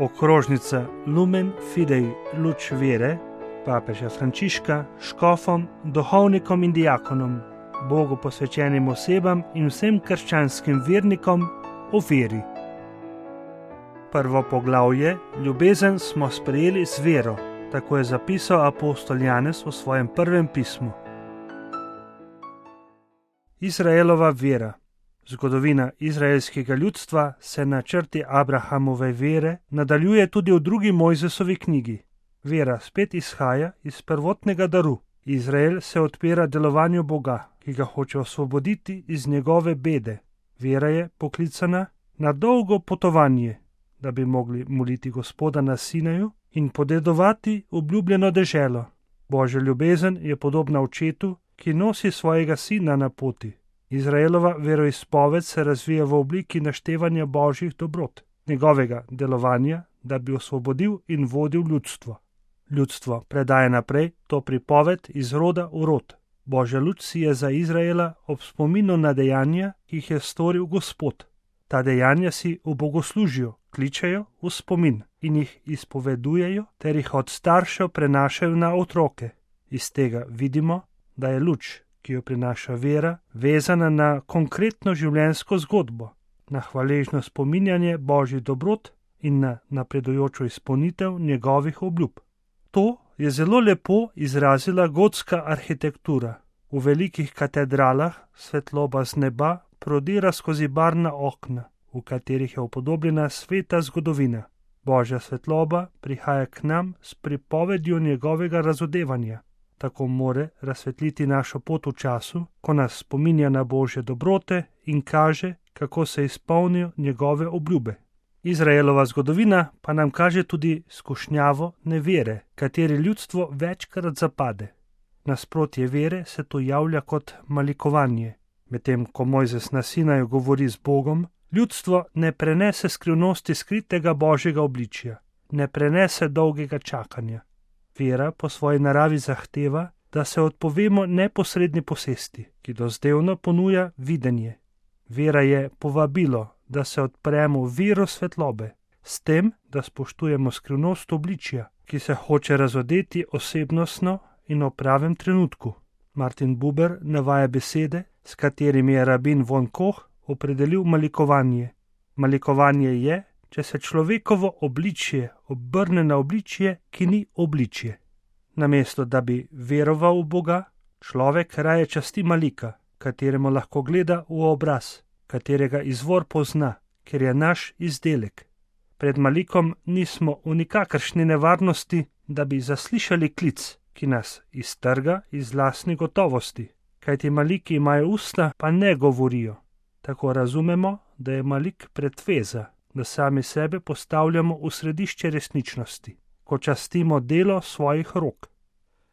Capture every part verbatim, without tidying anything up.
okrožnica Lumen Fidei Luč vere papeža Frančiška škofom, duhovnikom in diakonom, Bogu posvečenim osebam in vsem krščanskim vernikom o veri. Prvo poglavje, ljubezen smo sprejeli z vero, tako je zapisal apostol Janez v svojem prvem pismu. Izraelova vera. Zgodovina izraelskega ljudstva se na črti Abrahamove vere nadaljuje tudi v drugi Mojzesovi knjigi. Vera spet izhaja iz prvotnega daru. Izrael se odpira delovanju Boga, ki ga hoče osvoboditi iz njegove bede. Vera je poklicana na dolgo potovanje, da bi mogli moliti Gospoda na Sinaju in podedovati obljubljeno deželo. Božja ljubezen je podobna očetu, ki nosi svojega sina na poti. Izraelova veroizpoved se razvija v obliki naštevanja božjih dobrot, njegovega delovanja, da bi osvobodil in vodil ljudstvo. Ljudstvo predaje naprej to pripoved iz roda v rod. Božja luč si je za Izraela ob spominu na dejanja, ki jih je storil Gospod. Ta dejanja si v bogoslužju kličejo v spomin in jih izpovedujejo ter jih od staršev prenašajo na otroke. Iz tega vidimo, da je luč, ki jo prinaša vera, vezana na konkretno življenjsko zgodbo, na hvaležno spominjanje božjih dobrot in na napredujočo izpolnitev njegovih obljub. To je zelo lepo izrazila gotska arhitektura. V velikih katedralah svetloba z neba prodira skozi barvna okna, v katerih je upodobljena sveta zgodovina. Božja svetloba prihaja k nam s pripovedjo njegovega razodevanja. Tako more razsvetliti našo pot v času, ko nas spominja na božje dobrote in kaže, kako se izpolnijo njegove obljube. Izraelova zgodovina pa nam kaže tudi skušnjavo nevere, kateri ljudstvo večkrat zapade. Nasprotje vere se tu javlja kot malikovanje. Medtem ko Mojzes na Sinaju govori z Bogom, ljudstvo ne prenese skrivnosti skritega božjega obličja, ne prenese dolgega čakanja. Vera po svoji naravi zahteva, da se odpovemo neposredni posesti, ki dozdevno ponuja videnje. Vera je povabilo, da se odpremo v vero svetlobe, s tem, da spoštujemo skrivnost obličja, ki se hoče razodeti osebnostno in v pravem trenutku. Martin Buber navaja besede, s katerimi je rabin von Koch opredelil malikovanje. Malikovanje je, če se človekovo obličje obrne na obličje, ki ni obličje. Namesto da bi veroval v Boga, človek raje časti malika, kateremu lahko gleda v obraz, katerega izvor pozna, ker je naš izdelek. Pred malikom nismo v nikakršni nevarnosti, da bi zaslišali klic, ki nas iztrga iz lastnih gotovosti, kajti maliki imajo usta, pa ne govorijo. Tako razumemo, da je malik pretveza, da sami sebe postavljamo v središče resničnosti, ko častimo delo svojih rok.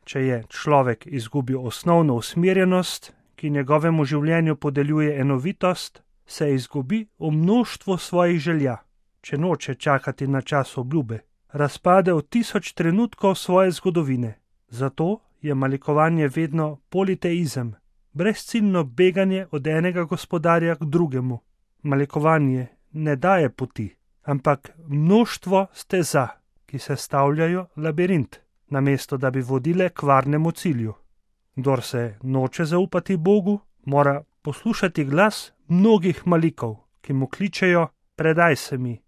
Če je človek izgubil osnovno usmerjenost, ki njegovemu življenju podeljuje enovitost, se izgubi v mnoštvo svojih želja. Če noče čakati na čas obljube, razpade v tisoč trenutkov svoje zgodovine. Zato je malikovanje vedno politeizem, brezciljno beganje od enega gospodarja k drugemu. Malikovanje ne daje poti, ampak mnoštvo steza, ki sestavljajo labirint, namesto da bi vodile k varnemu cilju. Kdor se noče zaupati Bogu, mora poslušati glas mnogih malikov, ki mu kličejo: predaj se mi.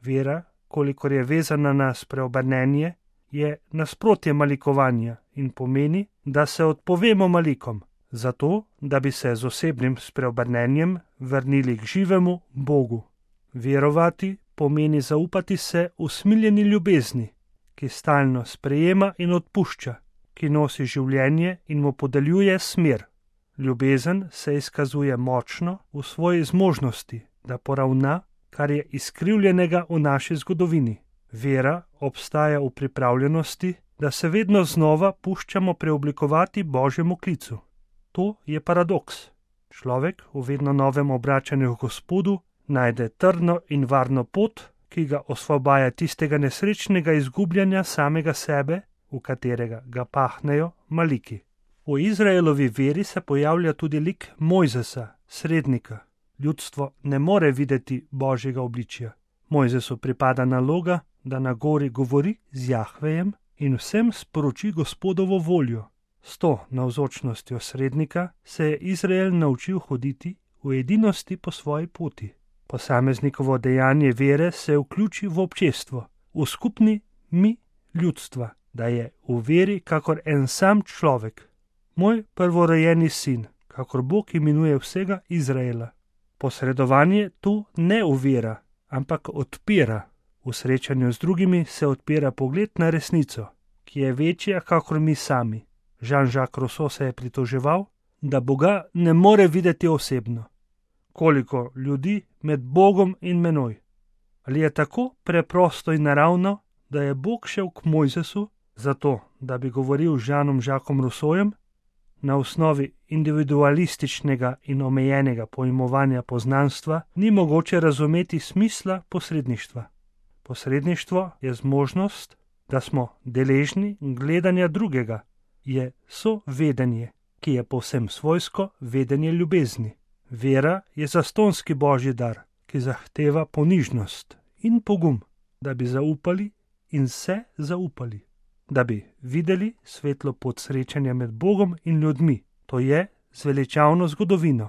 Vera, kolikor je vezana na spreobrnenje, je nasprotje malikovanja in pomeni, da se odpovemo malikom, zato da bi se z osebnim spreobrnenjem vrnili k živemu Bogu. Verovati pomeni zaupati se usmiljeni ljubezni, ki stalno sprejema in odpušča, ki nosi življenje in mu podeljuje smer. Ljubezen se izkazuje močno v svoji zmožnosti, da poravna, kar je izkrivljenega v naši zgodovini. Vera obstaja v pripravljenosti, da se vedno znova puščamo preoblikovati Božjemu klicu. To je paradoks. Človek v vedno novem obračanju k Gospodu najde trdno in varno pot, ki ga osvobaja tistega nesrečnega izgubljanja samega sebe, v katerega ga pahnejo maliki. V Izraelovi veri se pojavlja tudi lik Mojzesa, srednika. Ljudstvo ne more videti Božjega obličja. Mojzesu pripada naloga, da na gori govori z Jahvejem in vsem sporoči Gospodovo voljo. S to navzočnostjo srednika se je Izrael naučil hoditi v edinosti po svoji poti. Posameznikovo dejanje vere se vključi v občestvo, v skupni mi ljudstva, da je v veri kakor en sam človek. Moj prvorojeni sin, kakor Bog imenuje vsega Izraela. Posredovanje tu ne ovira, ampak odpira. V srečanju z drugimi se odpira pogled na resnico, ki je večja kakor mi sami. Jean-Jacques Rousseau se je pritoževal, da Boga ne more videti osebno. Koliko ljudi med Bogom in menoj. Ali je tako preprosto in naravno, da je Bog šel k Mojzesu, zato da bi govoril z Jeanom-Jacquesom Rousseaujem, na osnovi individualističnega in omejenega pojmovanja poznanstva ni mogoče razumeti smisla posredništva. Posredništvo je zmožnost, da smo deležni gledanja drugega, je sovedenje, ki je povsem svojsko vedenje ljubezni. Vera je zastonski božji dar, ki zahteva ponižnost in pogum, da bi zaupali in se zaupali, da bi videli svetlo pot srečanja med Bogom in ljudmi, to je zveličavno zgodovino.